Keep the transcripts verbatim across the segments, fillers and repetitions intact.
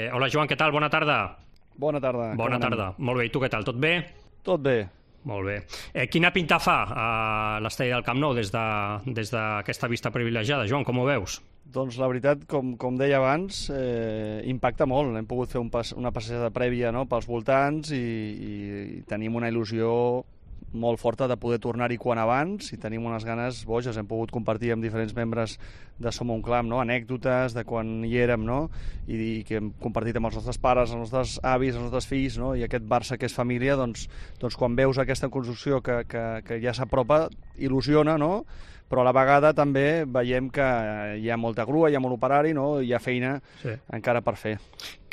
Eh, hola Joan, què tal? Bona tarda. Bona tarda. Bona tarda. Molt bé, i tu què tal? Tot bé? Tot bé. Molt bé. Eh, quina pinta fa a l'estadi del Camp Nou des de, des d'aquesta vista privilegiada? Joan, com ho veus? Doncs la veritat, com, com deia abans, eh, impacta molt. Hem pogut fer un pas, una passejada prèvia, no?, pels voltants i, i, i tenim una il·lusió molt forta de poder tornar-hi quan abans i tenim unes ganes boges. Hem pogut compartir amb diferents membres de Som un Clam, no?, anècdotes de quan hi érem, no?, i, i que hem compartit amb els nostres pares, els nostres avis, els nostres fills, no?, i aquest Barça que és família, doncs, doncs quan veus aquesta construcció que, que, que ja s'apropa, il·lusiona, no?, però a la vegada també veiem que hi ha molta grua, hi ha molt operari, no?, hi ha feina sí. encara per fer.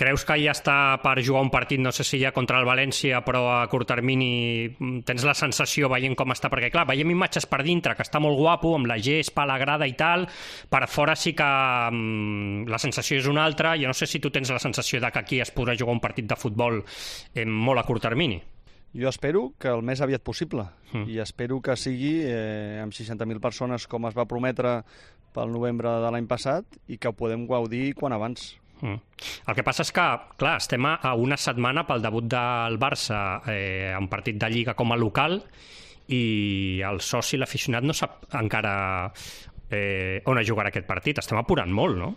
Creus que ja està per jugar un partit, no sé si ja contra el València, però a curt termini tens la sensació veient com està? Perquè, clar, veiem imatges per dintre, que està molt guapo, amb la gespa, la grada i tal, per fora sí que um, la sensació és una altra. Jo no sé si tu tens la sensació de que aquí es podrà jugar un partit de futbol eh, molt a curt termini. Jo espero que el més aviat possible mm. i espero que sigui eh, amb seixanta mil persones com es va prometre pel novembre de l'any passat i que ho podem gaudir quan abans. Mm. El que passa és que, clar, estem a una setmana pel debut del Barça eh, en partit de Lliga com a local i el soci, l'aficionat, no sap encara eh, on jugarà aquest partit. Estem apurant molt, no?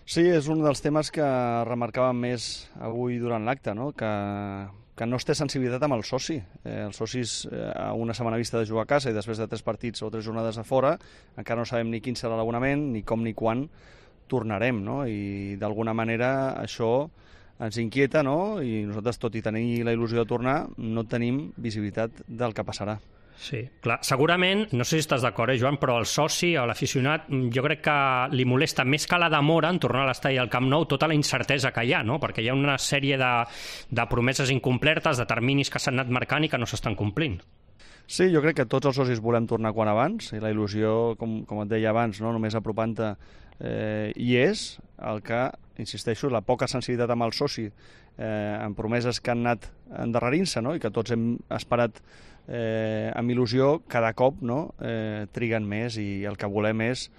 Sí, és un dels temes que remarcàvem més avui durant l'acte, no?, que que no es té sensibilitat amb el soci. Eh, els socis, eh, a una setmana vista de jugar a casa i després de tres partits o tres jornades a fora, encara no sabem ni quin serà l'abonament, ni com ni quan tornarem, no? I d'alguna manera això ens inquieta, no? I nosaltres, tot i tenir la il·lusió de tornar, no tenim visibilitat del que passarà. Sí, clar, segurament, no sé si estàs d'acord, eh, Joan, però el soci o l'aficionat jo crec que li molesta més que la demora en tornar a l'estadi del Camp Nou tota la incertesa que hi ha, no? Perquè hi ha una sèrie de, de promeses incomplertes, de terminis que s'han anat marcant i que no s'estan complint. Sí, jo crec que tots els socis volem tornar quan abans i la il·lusió, com, com et deia abans, no?, només apropant-te eh, hi és. El que, insisteixo, la poca sensibilitat amb el soci eh, en promeses que han anat endarrerint-se, no?, i que tots hem esperat eh, amb il·lusió, cada cop, no?, eh, triguen més i el que volem és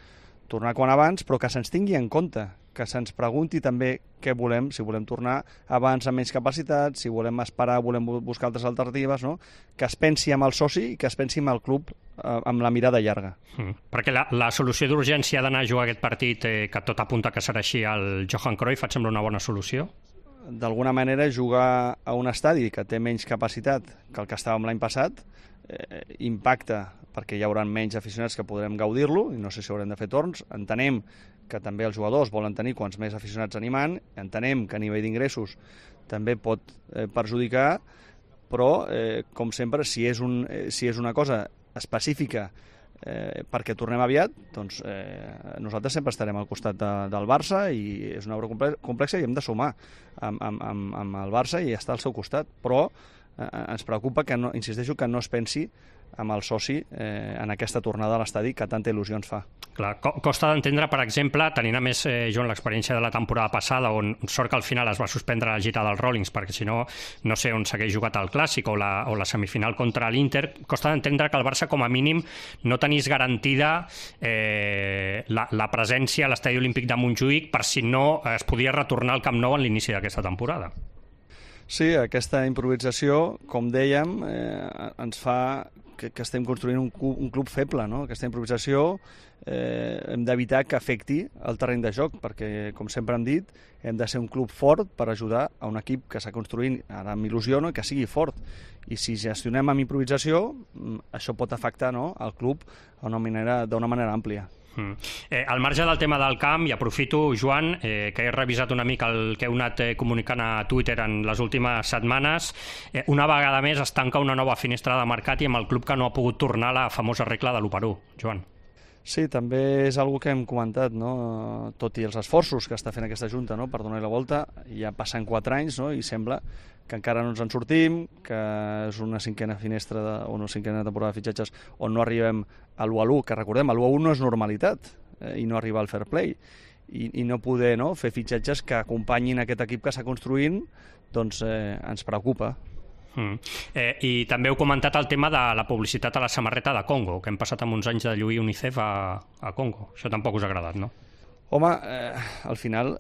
tornar quan abans, però que se'ns tingui en compte, que se'ns pregunti també què volem, si volem tornar abans amb menys capacitat, si volem esperar, volem buscar altres alternatives, no?, que es pensi amb el soci i que es pensi amb el club eh, amb la mirada llarga. Mm. Perquè la, la solució d'urgència d'anar a jugar aquest partit, eh, que tot apunta que serà així, al Johan Cruyff, et sembla una bona solució? D'alguna manera, jugar a un estadi que té menys capacitat que el que estàvem l'any passat eh, impacta, perquè hi haurà menys aficionats que podrem gaudir-lo, i no sé si haurem de fer torns. Entenem que també els jugadors volen tenir quants més aficionats animant, entenem que a nivell d'ingressos també pot eh, perjudicar, però, eh, com sempre, si és, un, eh, si és una cosa específica eh, perquè tornem aviat, doncs eh, nosaltres sempre estarem al costat de, del Barça i és una obra complexa i hem de sumar amb, amb, amb, amb el Barça i estar al seu costat, però eh, ens preocupa que, no, insisteixo, que no es pensi amb el soci eh, en aquesta tornada a l'estadi que tanta il·lusió ens fa. Clar, costa d'entendre, per exemple, tenint a més, eh, Joan, l'experiència de la temporada passada, on sort que al final es va suspendre la gira dels Rollins, perquè si no, no sé on s'hagués jugat el Clàssic o la, o la semifinal contra l'Inter. Costa d'entendre que el Barça, com a mínim, no tenís garantida eh, la, la presència a l'estadi olímpic de Montjuïc per si no es podia retornar al Camp Nou en l'inici d'aquesta temporada. Sí, aquesta improvisació, com dèiem, eh, ens fa que, que estem construint un, un club feble, no? Aquesta improvisació eh, hem d'evitar que afecti el terreny de joc, perquè, com sempre hem dit, hem de ser un club fort per ajudar a un equip que s'ha construint ara amb il·lusió, no?, que sigui fort. I si gestionem amb improvisació, això pot afectar, no?, el club d'una manera, d'una manera àmplia. Mm. Eh, al marge del tema del camp, i aprofito, Joan, eh, que he revisat una mica el que heu anat eh, comunicant a Twitter en les últimes setmanes, eh, una vegada més es tanca una nova finestra de mercat i amb el club que no ha pogut tornar a la famosa regla de l'u per u. Joan. Sí, també és algo que hem comentat, no?, tot i els esforços que està fent aquesta Junta, no?, per donar-hi la volta, ja passen quatre anys, no?, i sembla que encara no ens en sortim, que és una cinquena finestra de, o una cinquena temporada de fitxatges on no arribem a l'u a l'u, que recordem, l'u a u no és normalitat eh, i no arriba al fair play, i, i no poder, no?, fer fitxatges que acompanyin aquest equip que està construint, doncs eh, ens preocupa. Mm. Eh, I també heu comentat el tema de la publicitat a la samarreta de Congo, que hem passat amb uns anys de lluir UNICEF a, a Congo. Això tampoc us ha agradat, no? Home, eh, al final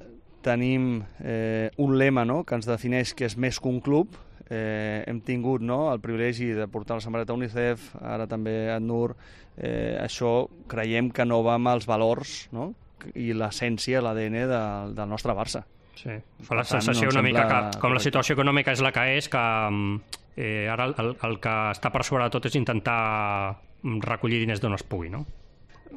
tenim eh, un lema, no?, que ens defineix que és més que un club. Eh, hem tingut, no?, el privilegi de portar la samarreta UNICEF, ara també ACNUR. Eh, això creiem que no va amb els valors, no?, i l'essència, l'A D N del, del nostre Barça. Sí, fa la sensació una mica que, com la situació econòmica és la que és, que eh, ara el, el que està per sobre de tot és intentar recollir diners d'on es pugui, no?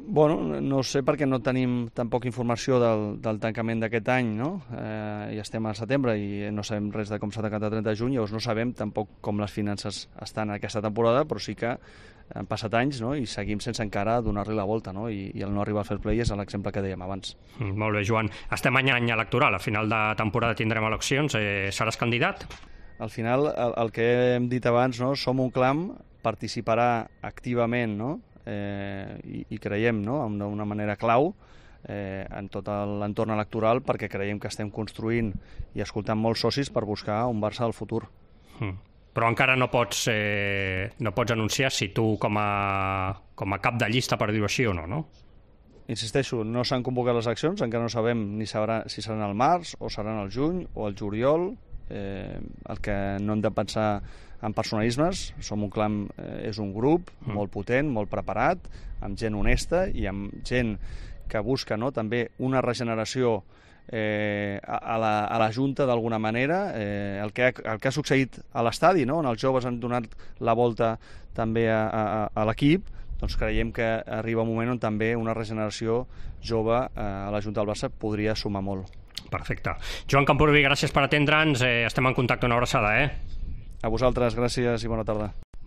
Bueno, no sé perquè no tenim tampoc informació del, del tancament d'aquest any, no? Eh, ja estem a setembre i no sabem res de com s'ha tancat el trenta de juny, llavors no sabem tampoc com les finances estan aquesta temporada, però sí que han passat anys, no?, i seguim sense encara donar-li la volta, no?, I, i el no arribar al fair play és l'exemple que dèiem abans. Mm, molt bé, Joan. Estem any any electoral, a final de temporada tindrem eleccions. Eh, seràs candidat? Al final, el, el que hem dit abans, no?, Som un Clam participarà activament, no?, eh, i, i creiem, no?, d'una manera clau eh, en tot l'entorn electoral, perquè creiem que estem construint i escoltant molts socis per buscar un Barça del futur. Mm. Però encara no pots, eh, no pots anunciar si tu com a, com a cap de llista, per dir-ho així, o no, no? Insisteixo, no s'han convocat les accions, encara no sabem ni sabrà, si seran al març o seran al juny o al juliol. Eh, el que no hem de pensar en personalismes. Som un Clam, eh, és un grup mm. molt potent, molt preparat, amb gent honesta i amb gent que busca, no?, també una regeneració Eh, a, la, a la Junta d'alguna manera, eh, el, que ha, el que ha succeït a l'estadi, no?, on els joves han donat la volta també a, a, a l'equip, doncs creiem que arriba un moment on també una regeneració jove eh, a la Junta del Barça podria sumar molt. Perfecte. Joan Camporubí, gràcies per atendre'ns, eh, estem en contacte, una abraçada, eh? A vosaltres, gràcies i bona tarda.